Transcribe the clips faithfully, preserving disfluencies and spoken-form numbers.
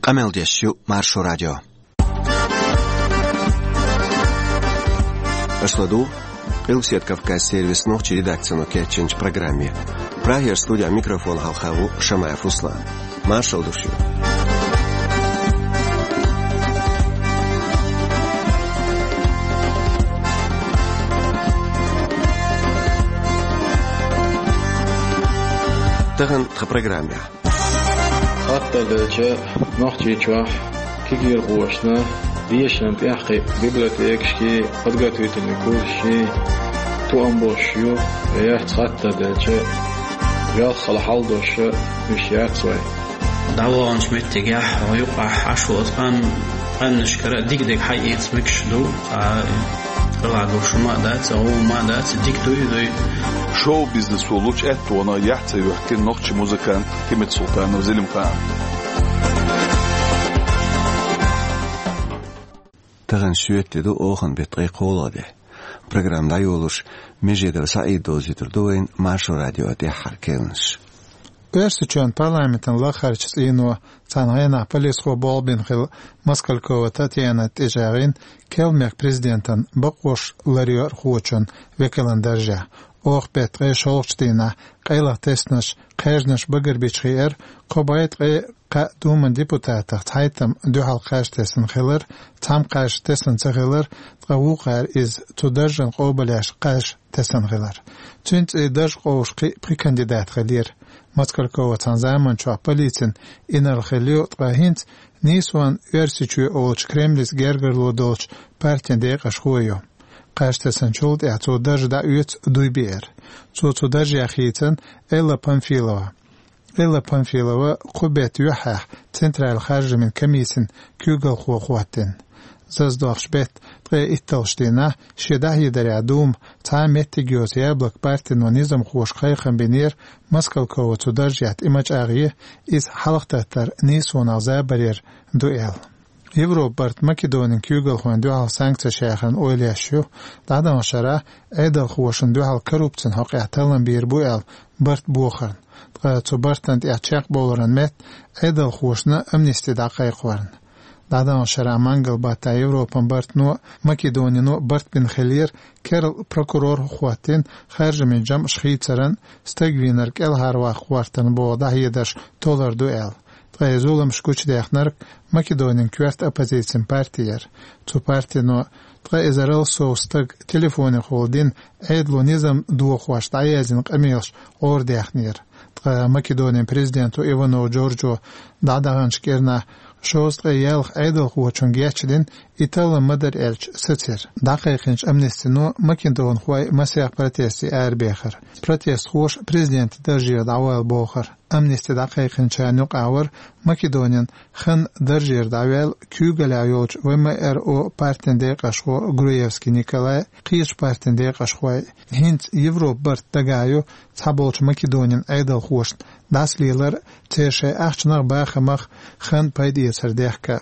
Къамел деш ю Маршо радио. Аша ладугӀу Къилбаседа Кавказан сервисан нохчийн редакцино кечйинчу программе. Прагера студехь микрофон хьалха ву Шамаев Руслан. Маршалла ду шуьга. Тахана тхан программехь. Хаттар делча, Нохчийчохь кегийрхошна дешаран тӀехь кхин библиотекашкий, подготовительный курсашкий тоам беш ю, яц хаттар делча, велхала хьал дош уьш яц вай. ДӀаваханчу меттигехь, юкъахь Ӏаш волу къам, къаьмнашкара дика-дика хьаэца мегаш ду, а, къилахь долуш хӀума а дац, гӀо хӀума а дац, дика дуй, дуй. Шоу-бизнесо лучу аьттонах яхь ца йоьхкина нохчийн музыкант Химит Султанов Зелимхан. Тахана шоьтан де ду, оханан беттан ткъе кхоалгӀа де. Программа дӀайолош, Межидов СаӀид довзуьйтур ду вайна Маршо радион тӀаьххьара керланаш. Оьрсийчоьнан парламентан лахарчу цӀийно цхьана хенахь полисхо болх бина хилла Москалькова Татьяна тӀечӀагӀйина Керлачу президентан бакъош ларъярхочун векалан даржехь. Оха беттан ткъе шолгӀачу дийнахь къайлаха тесначу кхаьжнаш багарбича хиира, кхо бӀе ткъе кхаа Думан депутатах цхьайтта дуьхьал кхаж тесна хилар, цхьамма кхаж тесна ца хилар, ткъа вукхара иза цу даржана къобалъеш кхаж тесна хилар. Цуьнан цӀе дарж къовсуш кхин а пхи кандидат хиллера. Москалькова цхьана заманчохь полицин инарла хилла ю, ткъа хӀинца нийсонан Оьрсийчоь олучу Кремлица гергарло долчу партин декъашхо а ю. Кхаж тесначул тӀаьхьа цо дарж дӀаоьцу дуй биъар. Цо цу даржехь хийцина Элла Памфилова. Элла Памфилова кху беттан юьххьехь Централан харжамийн комиссин куьйгалхо хӀоттийна. Зазадохучу беттан ткъе итталгӀачу дийнахь шен дӀахьедарехь Дума цхьа а меттиг йоцу яблоко партино низамхошка кхайкхам бинера, Москалькова цу даржехь тӀе ма чӀагӀъе, иза хьалхататтар нийсонах забарера ду аьлла. Европан барт Македонин куьйгалхойн дуьхьал санкцеш яхарна ойла еш ю, дӀадаханчу шарахь Ӏедалхошна дуьхьал коррупцин хьокъехь таллам бийр бу аьлла барт бохарна. Ткъа цу бартана тӀехь чекхбовларан метта Ӏедалхошна амнисти дӀакхайкхорна. ДӀадаханчу шарахь мангал баттахь Европан бартано а, Македонино а барт бина хиллера, керла прокурор хӀоттийна харжамийн жамӀаш хийцаран, стаг вийнарг кӀелхьарваккха гӀортаран боху дӀахьедарш толлур ду аьлла. Ткъа и зуламаш гучудаьхнарг Македонин коьрта оппозицин парти яра. Цу партино ткъа эзарал сов стаг телефонехула дина Ӏедало низам дохош дӀаяздина къамелаш гӀарадаьхнера. Ткъа Македонин президенто Иванов Джорджо дӀадаханчу кӀирнахь шовзткъе ялх Ӏедалхочун гечдина, и таллам ма дара аьлча сацира. ДӀакхайкхинчу амнистино македонхой масех протесте арабехира. Протестхоша президентан даржера дӀавала бохура. Амнисти дӀакхайкхинчарна юкъахь вара Македонин хан даржера дӀаваьлла куьйгаллехь йолчу В М Р О партин декъашхо Груевский Николай, кхечу партин декъашхой. ХӀинца Европан барт дагахь ю цхьаболчу Македонин Ӏедалхошна дӀасалелар, церан шайн ахчанах а, бахамах а хан пайдаэцар дехка.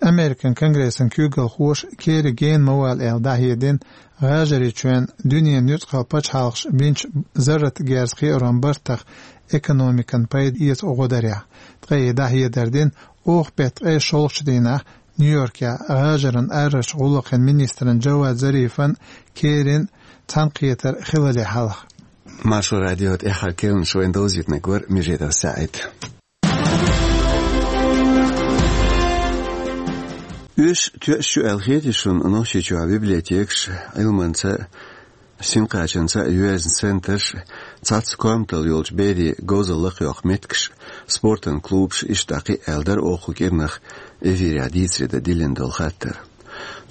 Американ Конгрессан куьйгалхоша Керри гена ма вала аьлла дӀахьедина, ГӀажарийчоьнна дуьненан нуьцкъала пачхьалкхаша бинчу зарратан герз кхиаран бартах экономикана пайда эца гӀо дарехь. Ткъа и дӀахьедар дина оха беттан ткъе шолгӀачу дийнахь Нью-Йоркехь ГӀажаран арарчу гӀуллакхийн министран Джавад Зарифан, Керрин цхьаьнакхетар хилале хьалха. Маршо радион тӀаьххьара керланаш вайна довзийтинарг вара Межидов СаӀид. Уьш тоьаш ю аьлла хетий шуна Нохчийчохь библиотекаш, Ӏилманца а, синкхачанца а йоьзна центраш, цхьацца коматалла йолчу берийн говзалла лакхайоккху меттигаш, спортан клубаш, иштта кхин а аьлла дара оха кху кӀирнах эфирехь дийцаре дан диллина долу хаттар.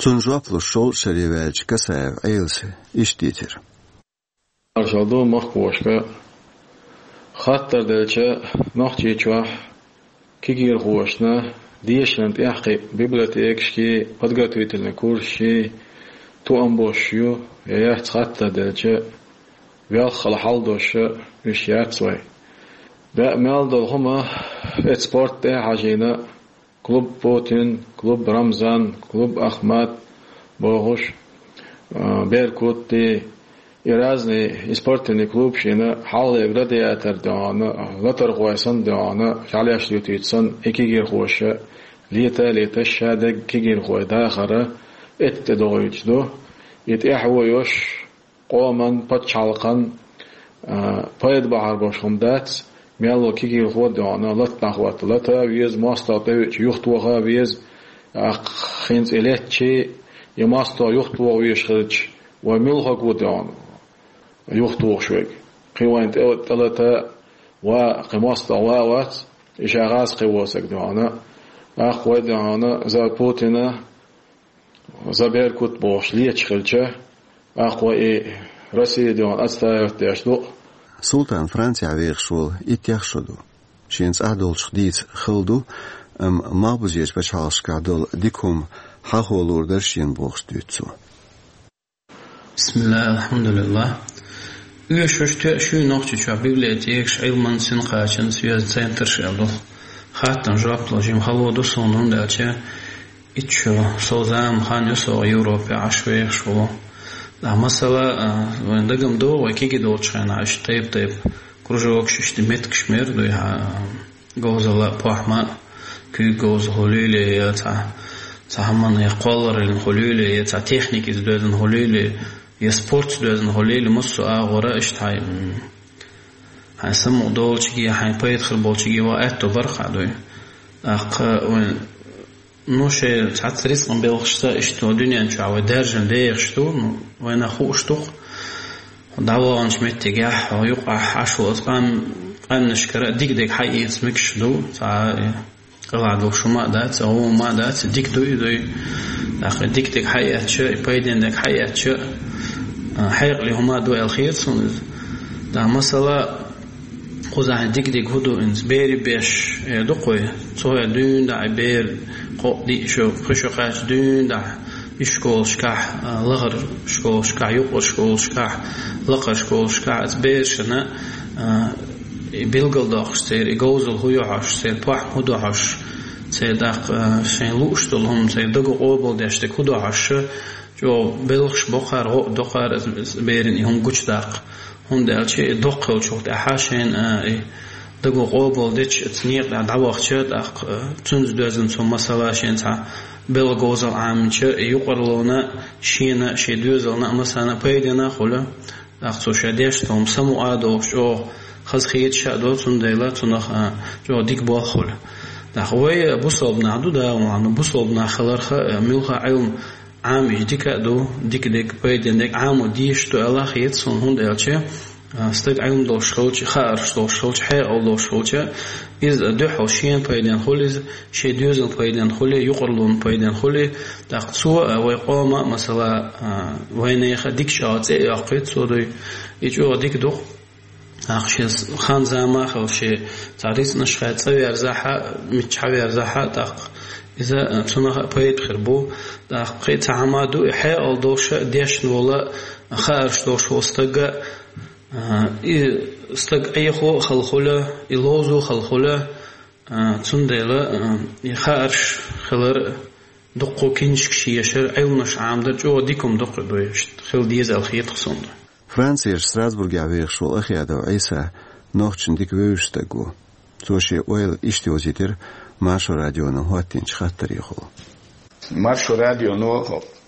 Цунна жоп луш шовзткъа шаре ваьллачу Касаев Ӏелас иштта дийцира. Маршалла ду махкахошка. Хаттар делча, Нохчийчохь кегийрхошна дешаран тӀехь кхин библиотекашкий, подготовительный курсашкий тоам беш ю, я яц хаттар делча, велхала хьал дош уьш яц вай. БӀе мел долу хӀума эцу спорт тӀе а хьажийна, клуб Путин, клуб Рамзан, клуб Ахмат бохуш, а, Беркутти, И разный, и спортивный клуб шийна хьалхале гладиатор доьгӀна, латархой санна доьгӀна, шалеш ютийта санна, и кегийрхоша лета, леташ ша дерг кегийрхой дахара, этта тӀе догӀуьйтуш ду. И тӀехьа вуйош, къоман, пачхьалкхан, а, пайда бахьар бош хӀума дац, мелло кегийрхо доьгӀна, лата нах ватта лата веза, мостагӀа тӀевеача юхатоха веза, а, хин цӀи летчи, и мостагӀа юхатоха везаш хилча, вай муьлхарг ву доьгӀна юхатохаш верг. Кхин вайна тӀе, тӀелата ва, кхин мостагӀа ва а вац, и ша гӀаз кхин вусаг доьгӀна. ТӀаккха вай доьгӀна за Путина, за Беркут бохуш леташ хилча, тӀаккха вай и Россия доьгӀна отстаивать деш ду. Султан Францехь вехаш волу иттех шо ду. Шена цӀахь долчух дийца хала ду, амма малхбузерчу пачхьалкхашкахь долу дика хӀума хьахо луур дара шена бохуш дуьйцу цо. Бисмиллах, алхьамдулиллах. Оьшуш тоьаш ю Нохчийчохь библиотекаш, Ӏилман синкхачан соьза центраш аьлла ду. Хаттам жоп ло жима хало ду суна, хӀунда аьлча итт шо сов зама хан ю со Европе Ӏаш вехаш волу. Ткъа масала, а, вайн дагам догӀу, вай кегий долчу хенахь иштта тайп-тайпа кружокаш, иштта меттигаш мер ду, яхьа, говзалла а, похӀма а, куьйга говза хуьлийла, я цхьа, цхьа хӀуманна я кхоллараллин хуьлийла, я цхьа техникица доьзна хуьлийла, я спортца доьзна хуьлийла, массо а агӀора иштта хьайн, м, хьайн самукъа долчуьнга, хьайн пайда хир болчуьнга ван аьтто бара хьан дуй. ТӀаккха вайн, ну, шайн цхьацца рицкъан белхашца иштта дуьнен чохь вай даьржина дехаш ду, ну, вайна хууш ду-кх. ДӀаваханчу меттигехь, юкъахь Ӏаш волу оцу къам-, къаьмнашкара а дика-дика хьаэца мегаш ду, цхьа, э, къилахь долуш хӀума а дац, гӀо хӀума а дац, дика ду и дуй. ТӀаккха дика-дика хьаэцча, и пайденна дерг хьаэцча, а, хьекъале хӀума а ду аьлла хета суна иза. ТӀаккха масала, кхузахь дика-дика хӀун ду, иза берийн беш, э, ду кхуй. Цо дуьйна дӀа и бер кхоъ диъ шо, пхи шо кхаьчча дуьйна дӀа ишколашкахь, а, лахара школашкахь, юкъара школашкахь, лакхара школашкахь, оцу берашна, а, и билгалдоккхуш церан, и говзалла хӀун ю хьожуш, церан похӀма хӀун ду хьожуш, церан тӀаккха, а, шайн лууш долу хӀума, церан дага къобалдеш дерг хӀун ду хьожуш, чӀогӀа белхаш бо кхара, гӀо а до кхара, оцу берана и хӀума гучудаккха. ХӀунда аьлча и доккха хилчул тӀаьхьа шайна, а, и дага къобалдечу оцу некъа тӀехь дӀавахча, тӀаккха, а, цуьнца доьзна цу масала шен цхьа белхан говзалла Ӏаминча, и юкъараллина шена, шен доьзална а, массарна а пайденна а хуьлу. ТӀаккха цо ша деш долу хӀума самукъа а долуш, чӀогӀа хазахеташ а ду, цундела цунах, а, чӀогӀа дика болх хуьлу. ТӀаккха вай бусалба нах ду, да, ваьхьна бусалба нах хиларх а, муьлхха а Ӏилма Ӏамийча дика а ду, дика дерг, пайденна дерг Ӏамо дезаш ду аьлла хета суна, хӀунда аьлча, а, стаг Ӏилма долуш хилча, хаарш долуш хилча, хьекъал долуш хилча, иза дуьхьал шена пайденна хуьлу иза, шен доьзална пайденна хуьлу, юкъараллина пайденна хуьлу. ТӀаккха цо, а, вай къоман а, масала, а, вайнехан а дика чӀогӀа цӀе а йоккхуьйту цо дуй. И чӀогӀа дика ду-кх. ТӀаккха шен хан-зама а хилла, шен цхьа рицкъанаш хьаьца цӀа верзахь а, миччахьа верзахь а, тӀаккха иза, а, цунах а пайда хир бу. ТӀаккха кхин а цхьа хӀума ду, и хьекъал долуш а, дешна волу а, хаарш долуш волу стаг а, а, и стаг Ӏехо а хала хуьлу, и ловзо а хала хуьлу, а, цундела, а, и хаарш хилар а дуккха, киншкаш ешар, Ӏилманаш Ӏамадар чӀогӀа дика хӀума ду-кх и дуй, иштта хила деза аьлла хета-кх суна. Францерчу Страсбургехь вехаш волу Ахъядов Ӏийса нохчашна дика вевзаш стаг ву. Цо шен ойла иштта йовзийтира Маршо радионо хӀоттийначу хаттарехула. Маршо радионо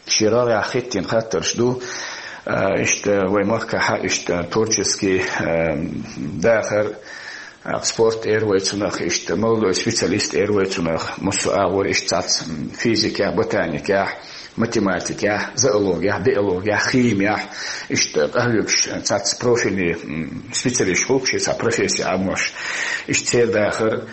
шен рогӀехь хӀоттийна хаттарш ду, а, иштта вай махкахь а, иштта творческий, а, дахар, а, спорт эр вай цунах, иштта молодой специалист эр вай цунах, массо а агӀор иштта цхьацца, м, физикехь, ботаникехь, математикехь, зоологехь, биологехь, химиехь, иштта къахьоьгуш цхьацца профильный, м, специалисташ хуьлу-кх шен цхьа профессия Ӏамош. Иштта церан дахар,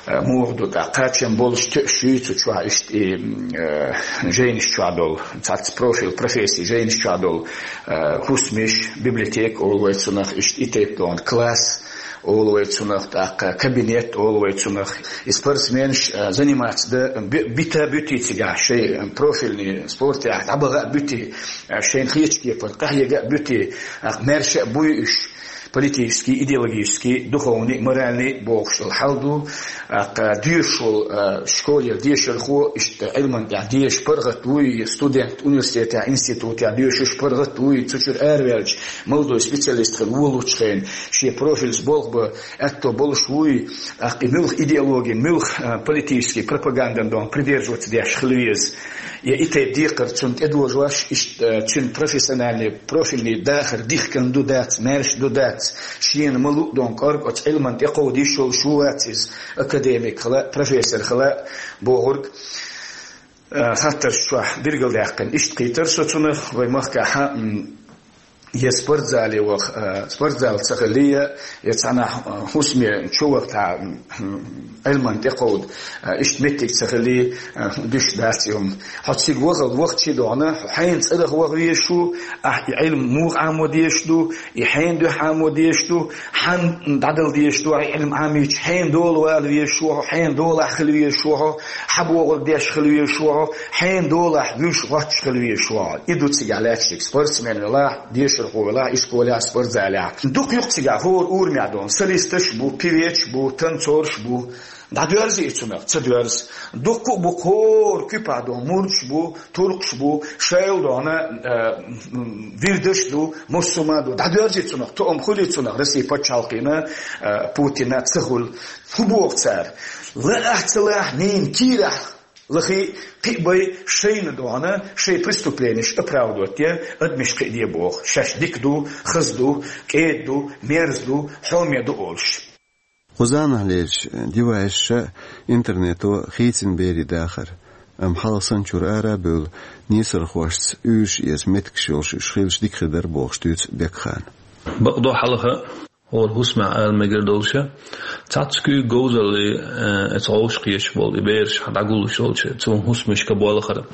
а, муха ду, тӀаккха кхачам болуш тоьаш юй цу чохь иштта и, м, а, жайнаш чохь долу, цхьацца профиль, профессия жайнаш чохь долу, а, хӀусамаш, библиотека олу вай цунах, иштта и тайпа долу класс, олу вай цунах, тӀаккха кабинет олу вай цунах. И спортсменаш, а, заниматься дан би-, бита буьтий цигахь, шайн профильный спортехь дӀабаха а буьтий, а, шайна хетачу кепара къахьега а буьтий, а, маьрша а буй уьш. политический, идеологический, духовный, моральный бохуш долу хьал ду. ТӀаккха доьшуш волу, а, школера дешархо, иштта Ӏилман тӀехь деша паргӀат вуй, студент университетехь, институтехь доьшуш паргӀат вуй, цу чуьра араваьлча, молодой специалист хила волучу хенахь, шен профиль болх бан аьтто болуш вуй, тӀаккха и муьлха идеологи, муьлха, а, политический пропагандин дон придерживаться деш хила веза. Я и тайпа декхар цунна тӀедожош, иштта, а, цуьнан профессиональный, профильный дахар дихкина ду дац, маьрша ду дац, шена ма луъу дон кӀорга оцу Ӏилман тӀекховда йиш йолуш ву вац иза, академик хила, профессор хила бохург, а, хаттарш чохь билгалдаьккхина. Иштта кхийтира со цунах, вай махкахь, м, я спортзале ваха, а, спортзал ца хилий, я цхьанхьа, а, хӀусаме чу вахтахь, м, Ӏилман тӀекховда, а, иштта меттиг ца хилий, а, дуьш дац и хӀума. Хьо цига вахал вахчи догӀна, хьо хьенан цӀарах ваха везаш ву, ахь и Ӏилма муха Ӏамо дезаш ду, и хьенан дуьхьа Ӏамо дезаш ду, хьан дӀадала дезаш ду, ахь и Ӏилма Ӏамийча хьенан дола вала везаш ву хьо, хьенан долахь хила везаш ву хьо, хьан бохург деш хила везаш ву хьо, хьенан долахь вуьш гӀотташ хила везаш ву хьо. И ду цигахь лаьтташ дерг спортсмен велахь, дешархо велахь, ишколехь, спортзалехь. Дукха ю-кх цигахь хӀора урамехь дон, солисташ бу, певецаш бу, танцорш бу. ДӀадоьрзу и цунах, ца доьрзу. Дуккха а бу хӀора куьпахь дон, мурдаш бу, туркхаш бу, шайла дон, а, м, вирдаш ду, муссума ду. ДӀадоьрзу и цунах, тоам хуьлий цунах, Россин пачхьалкхана, а, Путина ца хуьлу. ХӀун боху цара? Лаахь, ца лаахь, нина кийрахь лахий, кхин а бай шайна дон, шайн преступленеш оправдывать е, адамаш кхиаде боху. Шаьш дика ду, хаза ду, кӀеда ду, мерза ду, хьоме ду олуш. Кху заманахь лелаш девайсаш а, интернето а хийцина берийн дахар, амма хьалха санначуьра ара а бевлла, нийсархошца уьйраш эца меттигаш йолуш уьш хилча дика хир дара бохуш дуьйцу Бекхана. Бакъдо хьалха хӀора хӀусамехь ала мегар долуш, цхьацца куьйга говзаллий, э, эца гӀовшах кхеташ болу и бераш дӀагуллуш йолчу цу хӀусамашка болхара.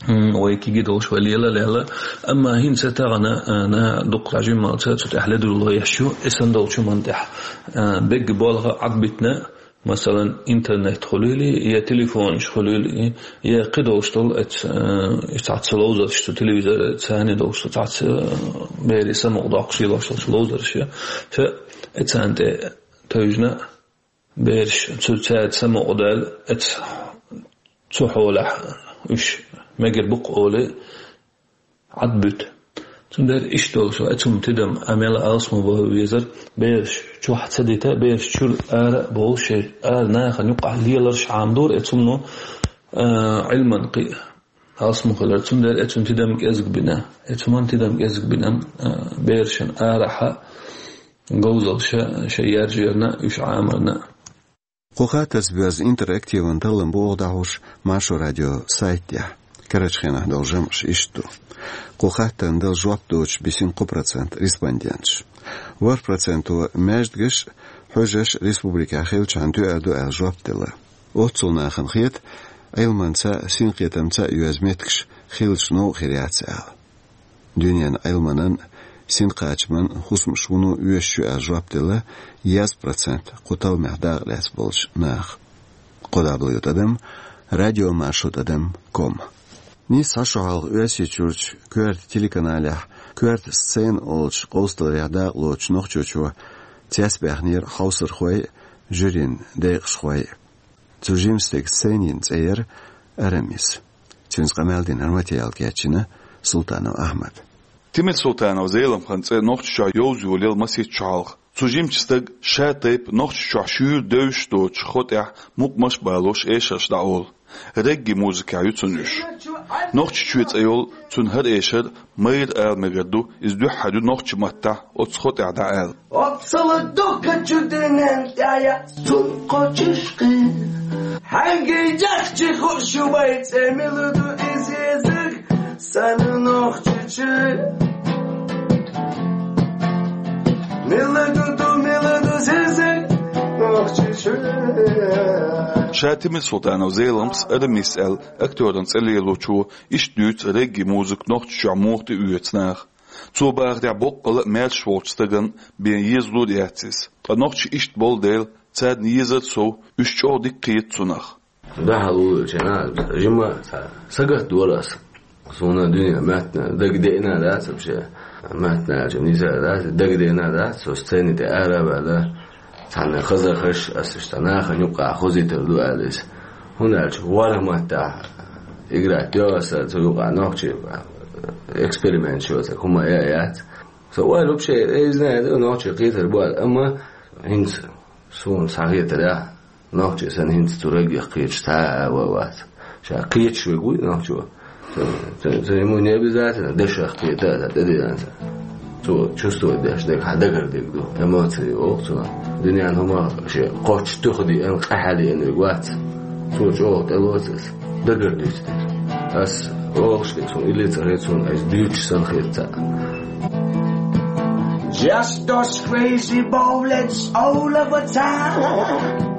М, вай кегий долуш вай лела а лелла. Амма хӀинца тахана, а, наха дуккха жиммалца цу тӀехь ледарло еш ю, и санна долчу хӀуманна тӀехь. А, бегга болх Ӏадбитина, масалан, интернет хуьлийла, я телефонаш хуьлийла, я кхин долуш долу эц-, а, и цхьацца ловзарш цу телевизор царна долуш, цхьацца, а, берийн самукъадоккхуш лелош долуш ловзарш я. Ша эцарна тӀе тевжина, бераш цу цаьрца самукъадаьлла, эц-, цу хьолехь уьш мегар бу-кх олий, Ӏадбуьту. Цундела иштта долуш ву, эцу хӀума тидам а мел алсам бан везара, бераш чохь ца дита, бераш чуьра ара а бовла, шайн ара нахана юккъахь леларш Ӏамадора эцу хӀумано, а, Ӏилман кхин а алсам хилар. Цундела эцу хӀуман тидам кӀезиг бина. Эцу хӀуман тидам кӀезиг бина, а, берашна арахьа говзалла ша, шайн яржарна, уьш Ӏамарна. Кху хаттарца боьзна интерактиван таллам бу оха дӀахьош Маршо радион сайта тӀехь, карарчу хенахь долу жамӀаш иштта ду. Кху хаттарна дала жоп доцуш бисина кхо процент респонденташ. ВорхӀ проценто маьждигаш а, хьуьжарш а республикехь хилчахьана тоьар ду аьлла жоп делла. Оццул нахана хета, Ӏилманца а, синкхетамца а йоьзна меттигаш хилча новкъа хир яц аьлла. Дуьненан Ӏилманан, синкхачаман хӀусамаш вуно оьшуш ю аьлла жоп делла дезткъа процент кху талламех дакъа лаьцна болчу наха. Кхо дабл ю тӀадам радиомаршо тӀадам ком. Нийсса цхьа шо хьалха Оьрсийчуьрчу коьрта телеканалехь «Коьрта сцена» олучу къовсадаларех дакъалоцучу Нохчийчоь цецбаьхнера хьовсархой а, жюрин декъашхой а. Цу жимчу стеган сценин цӀе яра «Арамис». Цуьнца къамел дина материал кечйина Султанов Ахьмада. Тимирсултанов Зеламхан цӀе Нохчийчохь йовза йолаелла масех шо хьалха. Цу жимчу стага ша тайпа Нохчийчохь шуьйра девзаш доцучу хотӀехь мукъамаш а балош эшарш дӀаолу. Регги музыкехь ю цуьнан уьш. Нохчийчоь цӀе йолу цуьнан хӀара эшар майра ала мегар ду, иза дуьххьара ю нохчийн маттахь оцу хотӀехь дӀааьлла. Оццул дукха чу дуьнен тӀехь яц цунна кхочуш кхин. Хьаьнгге яхча хууш ю вайн цӀе, мила ду иза езарг сан Нохчийчоь. Мила ду ду, мила ду зезарг Нохчийчоь. Ша Тимирсултанов Зеламхас «Арамис» аьлла актёран цӀе лелочо иштта дуьйцу регги музыка Нохчийчохь муха тӀеоьцу наха. Цо бахарехь, боккъала а маьрша волчу стагана бен езалур яц иза. Ткъа нохчий иштта болу дела, царна езар сов, уьш чӀогӀа дика кхета цунах. Дахьал вуьйлча, жима ца сагатдора ас. Суна дуьне меттана дага деана дац вообще. Маттаналча низа дац, дагадена дац, со сцени тӀе ара а ваьлла, цхьанна хазахаш, ас иштта нахана юкъа хозийтар ду аьлла иза. ХӀунда аьлча вархӀ маттахь играть йо аса, цу юкъа нохчий эксперимент йоцург хӀума я а яц. Со ойла вообще, э, знаю, да, нохчий кхетар бу аьлла, амма хӀинца суна схьахетарехь, нохчий санна хӀинца цу реггах кхеташ цхьа а ва вац. Ша кхеташ верг вуй нохчо. Ца, ца, ца ему не обязательно дешах кхета а, ца тӀедиллина ца. Цо чувствовать деш дерг хьан дагардерг ду, эмоции оха цунах. Дуьненан хӀума шен кхоччуш туьха диъна, къаьхьа диъна верг вац. Цо чӀогӀа тӀелоцу аса. Дагардуьйцу дерг. Ас олуш дерг суна илли ца хета, суна айса дуьйцуш санна хета цхьаъ. Just those crazy bullets all of a time.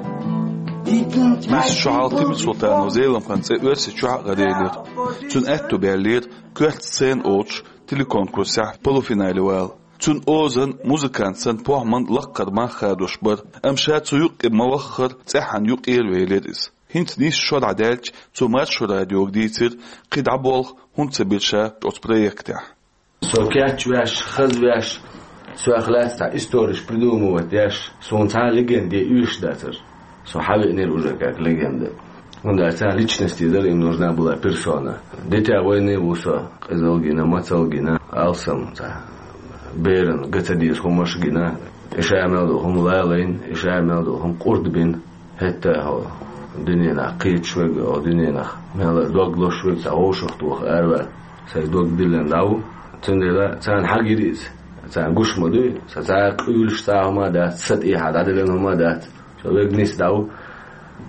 Нийсса шо хьалха Тимурсултанов Зеламхан цӀе Оьрсийчохь а гӀарелира. Цуьнан аьтту баьллера коьрта сцена олуш телеконкурсехь полуфинале вала. Цуьнан озан музыкант санна похӀман лаккхара мах хадош бара, амма ша цу юккъе ма-ваххара цӀеххьана юкъера велира иза. ХӀинца нийсса шо дӀадаьлча, цо Маршо радиога дийцира, кхин дӀа болх хӀунда ца бира ша оцу проектехь. Со кечвеш, хазвеш, соьх лаьцна цхьа историш придумывать деш, суна цхьа а легенде оьшуш дацара. Со хьавеанера уже как легенда. ХӀунда аьлча цхьа личность дара, им нужна была персона. Дитя войны ву со, къизалгина, мацалгина, алсам цхьа беран га ца деза хӀумаш гина, и ша мел долу хӀума лалайна, и ша мел долу хӀума къурд бина. ХӀетта хьо дуьненах кхеташ верг, хьо дуьненах мел а дог лозуш верг цхьа вовшах тоха араваьлла. Сайн дог диллина дӀа ву. Цундела царна хьагира иза. Царна гуш ма дуй, сан цхьа а къуьйлуш цхьа а хӀума а дац, сан тӀехьа дӀадиллина хӀума а дац. Со верг нийса дӀа ву.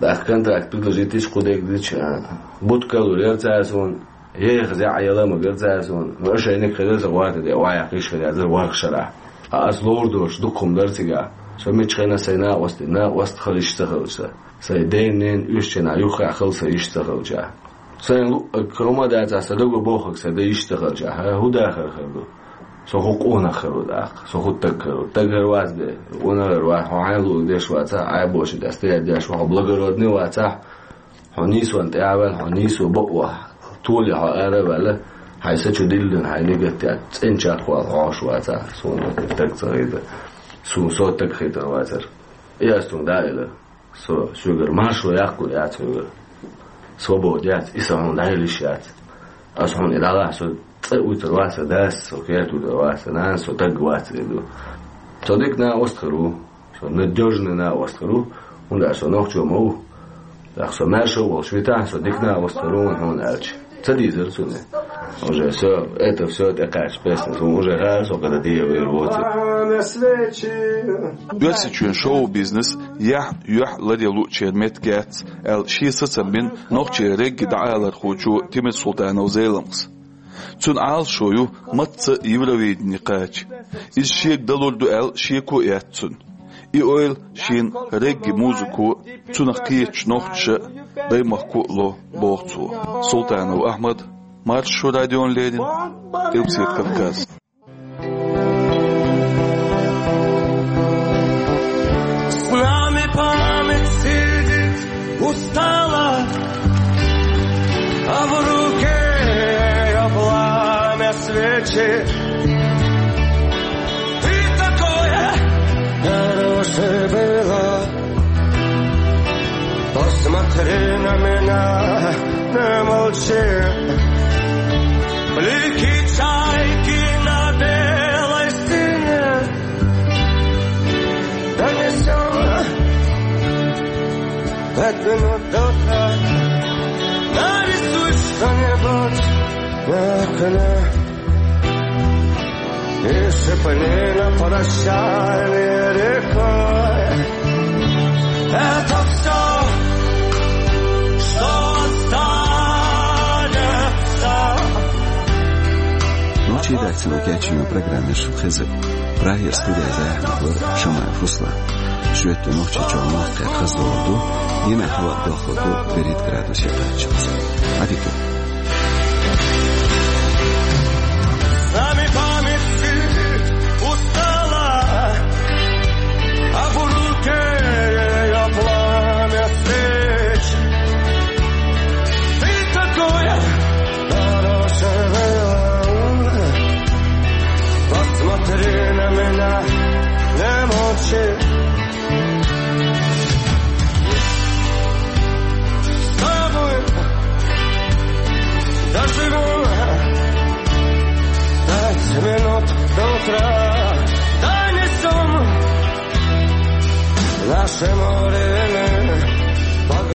ТӀаккха контракт предложить дича, кху дерг дича, а, бутт калур яра цара суна. Еха зӀе яла ма гара цара суна. Ну, ошейник хилира сан гӀорта тӀе, охьаяккха йиш хир яцара ворхӀ шарахь. Ткъа ас ловр долуш дукха хӀума дара цигахь. Со миччахьа а сайн накъостий, накъост хила йиш ца хилча сан. Сайн ден-ненан оьшучу хенахь юххехь хила сан йиш ца хилча. Сайн луъург хӀума дацахь, сан дага бохург сан дан йиш ца хилча, хӀун дахар хир ду? Со хӀун къонах хир ву тӀаккха? Со хӀун стаг хир ву? Стаг хир вац де, къонах хир вац, хьо хьайн луъург деш вацахь, Ӏай боши тӀе стоять деш ву, хьо благородный вацахь, хьо нийсонна тӀе а ваьлла, хьо нийсо бакъо толе хьо ара а ваьлла, хьайн са чу диллина, хьайн нигат яц, цӀена чекхвала хьо хьош вацахь, суна стаг ца хетара. Суна со стаг хетар вацара. И ас цунга дӀа а элира. Со соьгара маршо яккхалур яц хьоьгара. Свобода яц, и сан хьуна дӀаелла йиш яц. Ас хьуна и дӀалахь, со цӀе уьйтур вац сан дас, со кертуьйтур вац сан нанас, со стаг вац эр ду. Со дика накъост хир ву. Со надёжный накъост хир ву, хӀунда аьлча со нохчо ма ву. ТӀаккха со маьрша а волуш витахь, со дика накъост хир ву, хьуна аьлча. Ца дийзира цунна. Уже всё, это всё тӀекхаьчча песня, хьуна уже гӀара со кхара дийр вер воцург. Оьрсийчоьнан шоу-бизнес яхь, юьхь ларъян луучеран меттиг яц аьлла, шен сацам бина нохчийн регги дӀаалархочо Тимурсултанов Зеламхас. Цуьнан Ӏалашо ю мацца а Евровидене кхача. Иза шега далур ду аьлла шеко а яц цуьнан. И ойла шена регги музыко а, цунах кхетачу нохчаша а, даймахко а ло, боху цо. Султанов Ахьмад, Маршо радиона леррина, Къилбаседа Кавказ. С нами память сидит устала, а в руке её пламя свечи. Ты такое хорошее было. Посмотри на меня, не молчи. Блики чайки на белой стене. Донесём пять минут до утра. Нарисуй что-нибудь на окне. И сыпь на прощание рекой. Это всё, что останется. Нохчийн редакцино кечйина программа шун хеза. Прагера студехь захьа вара Шамаев Руслан. Шоьтан Нохчийчохь мохк кхаздалур ду, дийнахь хӀаваъ дохлур ду берхӀитта градусе кхаччалц. Ӏадика.